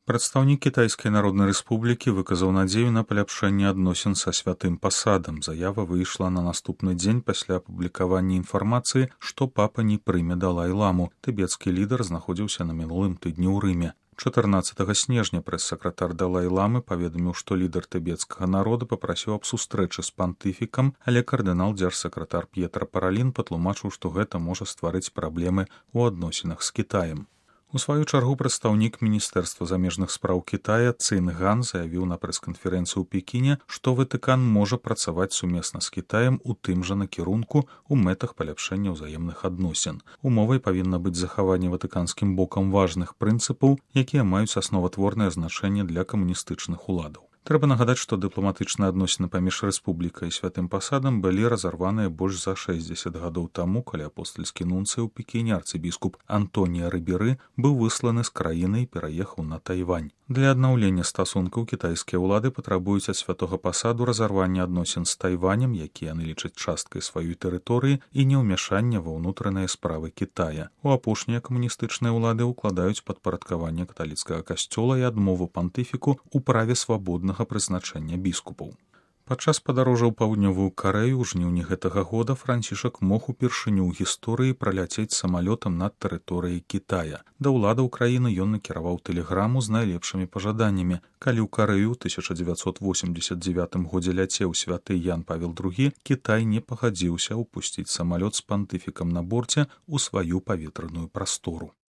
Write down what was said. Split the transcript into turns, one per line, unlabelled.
Прадстаўнік кітайскай народнай рэспублікі выказаў надзею на паляпшэнне адносін са святым пасадам. Заява выйшла на наступны дзень пасля апублікавання інфармацыі, што папа не прыме далай-ламу. Тыбецкі лідар знаходзіўся на мінулым тыдні ў Рыме. 14 снежня прэс-сакратар далай-ламы паведаміў, што лідар тыбецкага народа папрасіў аб сустрэчы з пантыфікам, але кардынал дзяржсакратар П'етра Паралін патлумачыў, што гэта можа стварыць праблемы ў адносінах з Кітаем. У сваю чаргу прадстаўнік міністэрства замежных спраў Кітая Цын Ган заявіў на прэс-канферэнцыі ў Пекіне, што Ватыкан можа працаваць сумесна з Кітаем у тым жа накірунку ў мэтах паляпшэння ўзаемных адносін. Умовай павінна быць захаванне ватыканскім бокам важных прынцыпаў, якія маюць асноватворнае значэнне для камуністычных уладаў. Трэба нагадаць, што дыпламатычныя адносіны паміж рэспублікай і святым пасадам былі разарваныя больш за 60 гадоў таму, калі апостальскі нунцый у Пекіне арцыбіскуп Антонія Рыберы быў высланы з краіны і пераехаў на Тайвань. Для аднаўлення стасункаў кітайскія ўлады патрабуюць ад святога пасаду разарвання адносін з Тайванем, які яны лічаць часткай сваёй тэрыторыі, і неўмяшання ва ўнутраныя справы Кітая. У апошнія камуністычныя ўлады ўкладаюць падпарадкаванне каталіцкага касцёла і адмову пантыфіку ў праве свабоднага прызначэння біскупаў. Падчас падарожжа ў паўднёвую Карэю ў жніўні гэтага года Францішак мог упершыню ў гісторыі праляцець самалётам над тэрыторыяй Кітая. Да ўладаў краіны ён накіраваў тэлеграму з найлепшымі пажаданнямі. Калі ў Карэю ў 1989 годзе ляцеў святы Ян Павел II, Кітай не пагадзіўся ўпусціць самалёт з пантыфікам на борце ў сваю паветраную прастору.